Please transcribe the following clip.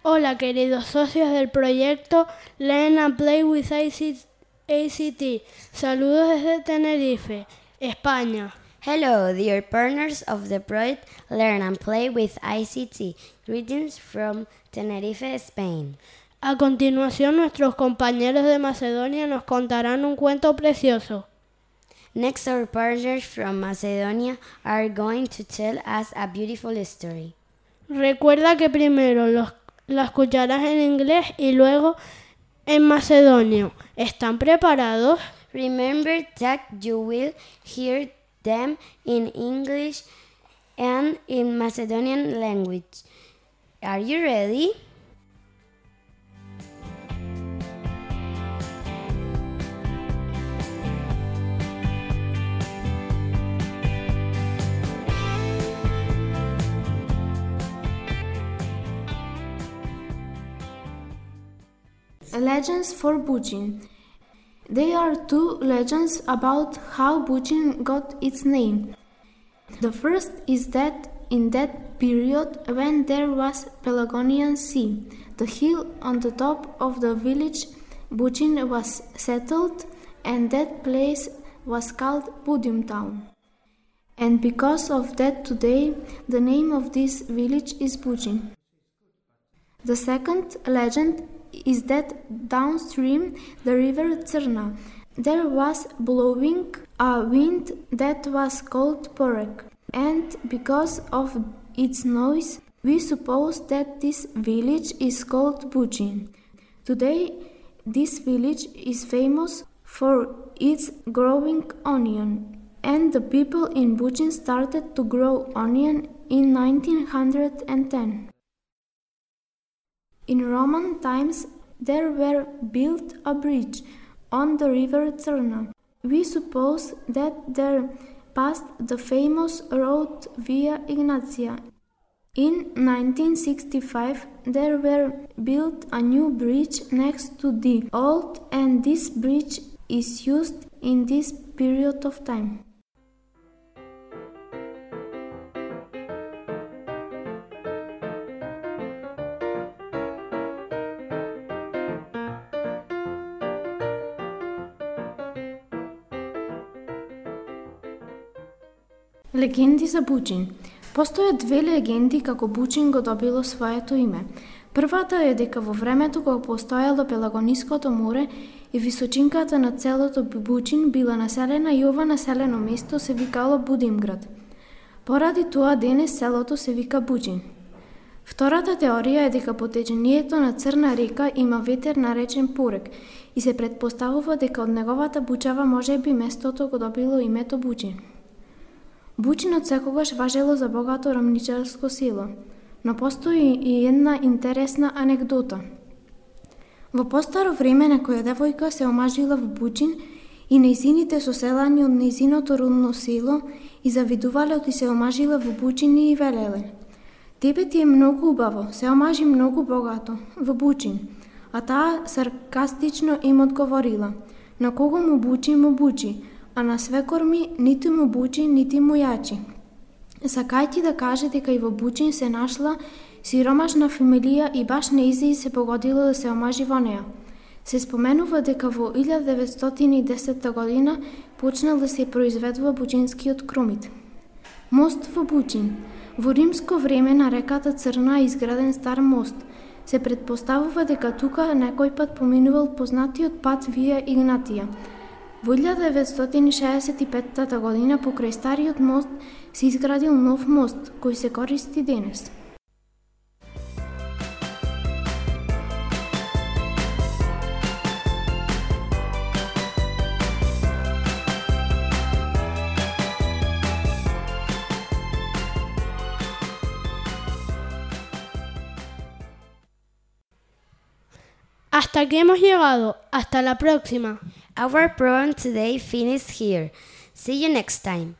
Hola, queridos socios del proyecto Learn and Play with ACT. Saludos desde Tenerife, España. Hello, dear partners of the project Learn and Play with ICT. Greetings from Tenerife, Spain. A continuación, nuestros compañeros de Macedonia nos contarán un cuento precioso. Next, our partners from Macedonia are going to tell us a beautiful story. Recuerda que primero la escucharás en inglés y luego en macedonio. ¿Están preparados? Remember that you will hear them in English and in Macedonian language. Are you ready? Legends for Bucin. There are two legends about how Bucin got its name. The first is that in that period when there was Pelagonian Sea, the hill on the top of the village Bucin was settled, and that place was called Budim town. And because of that today, the name of this village is Bucin. The second legend is that downstream the river Crna there was blowing a wind that was called Porek, and because of its noise we suppose that this village is called Bucin. Today this village is famous for its growing onion, and the people in Bucin started to grow onion in 1910. In Roman times, there were built a bridge on the river Crna. We suppose that there passed the famous road Via Ignatia. In 1965, there were built a new bridge next to the old, and this bridge is used in this period of time. Легенди за Бучин. Постојат две легенди како Бучин го добило своето име. Првата е дека во времето кога постоело Пелагониското море и височинката на целото Бучин била населена и ова населено место се викало Будимград. Поради тоа денес селото се вика Бучин. Втората теорија е дека по течението на Црна река има ветер наречен Порек и се претпоставува дека од неговата бучава можеби местото го добило името Бучин. Бучин секогаш важело за богато рамничарско село, но постои и една интересна анекдота. Во постаро време некоја девојка се омажила во Бучин и нејзините соселани од нејзиното родно село и завидувале оти се омажила во Бучин и велеле: "Тебе ти е многу убаво, се омажи многу богато во Бучин." А таа саркастично им одговорила: "На кого му бучи, а на свекор ми ниту му бучи, нити му јачи." Сакајќи да каже дека и во Бучин се нашла сиромашна фамилија и баш нејзе се погодило да се омажи во неа. Се споменува дека во 1910 година почнал да се произведува бучинскиот кромит. Мост во Бучин. Во римско време на реката Црна е изграден стар мост. Се претпоставува дека тука некој пат поминувал познатиот пат Вија Игнатија. Во 1965 година покрај стариот мост се изградил нов мост кој се користи денес. Hasta aquí hemos llegado. Hasta la próxima. Our program today finished here. See you next time.